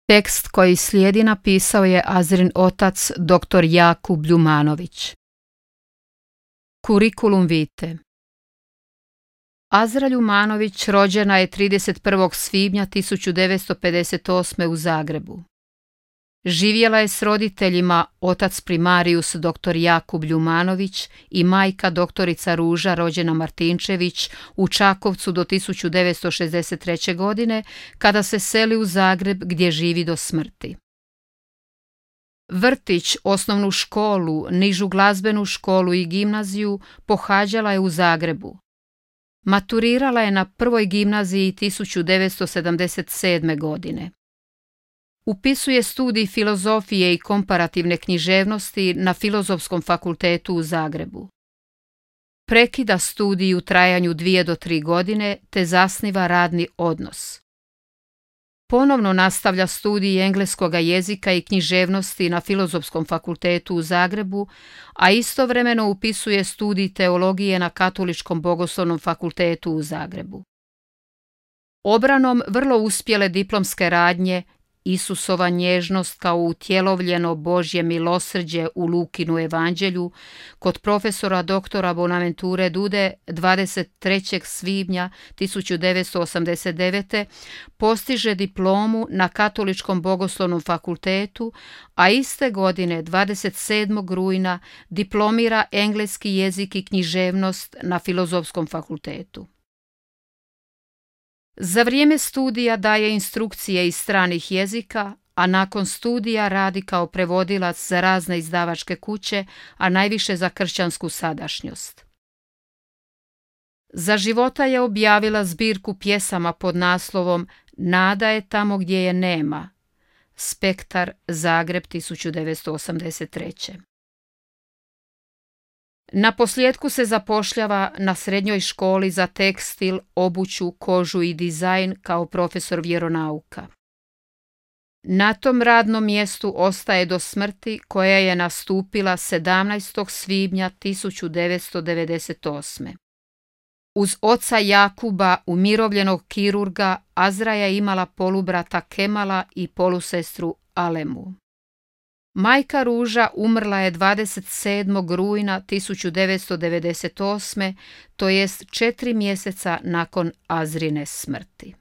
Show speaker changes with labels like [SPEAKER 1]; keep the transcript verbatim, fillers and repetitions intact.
[SPEAKER 1] Tekst koji slijedi napisao je Azrin otac doktor Jakub Ljumanović. Kurikulum vitae. Azra Ljumanović rođena je trideset prvog svibnja tisuću devetsto pedeset osme. u Zagrebu. Živjela je s roditeljima, otac primarius doktor Jakub Ljumanović i majka doktorica Ruža rođena Martinčević u Čakovcu do tisuću devetsto šezdeset treće. godine, kada se seli u Zagreb gdje živi do smrti. Vrtić, osnovnu školu, nižu glazbenu školu i gimnaziju pohađala je u Zagrebu. Maturirala je na prvoj gimnaziji tisuću devetsto sedamdeset sedme. godine. Upisuje studij filozofije i komparativne književnosti na Filozofskom fakultetu u Zagrebu. Prekida studij u trajanju dvije do tri godine te zasniva radni odnos. Ponovno nastavlja studij engleskoga jezika i književnosti na Filozofskom fakultetu u Zagrebu, a istovremeno upisuje studij teologije na Katoličkom bogoslovnom fakultetu u Zagrebu. Obranom vrlo uspjele diplomske radnje Isusova nježnost kao utjelovljeno Božje milosrđe u Lukinu evanđelju kod profesora doktora Bonaventure Dude dvadeset trećeg svibnja tisuću devetsto osamdeset devete. postiže diplomu na Katoličkom bogoslovnom fakultetu, a iste godine dvadeset sedmog rujna diplomira engleski jezik i književnost na Filozofskom fakultetu. Za vrijeme studija daje instrukcije iz stranih jezika, a nakon studija radi kao prevodilac za razne izdavačke kuće, a najviše za kršćansku sadašnjost. Za života je objavila zbirku pjesama pod naslovom Nada je tamo gdje je nema. Spektar, Zagreb, tisuću devetsto osamdeset treće. Na posljetku se zapošljava na srednjoj školi za tekstil, obuću, kožu i dizajn kao profesor vjeronauka. Na tom radnom mjestu ostaje do smrti koja je nastupila sedamnaestog svibnja tisuću devetsto devedeset osme. Uz oca Jakuba, umirovljenog kirurga, Azra je imala polubrata Kemala i polusestru Alemu. Majka Ruža umrla je dvadeset sedmog rujna tisuću devetsto devedeset osme. to jest četiri mjeseca nakon Azrine smrti.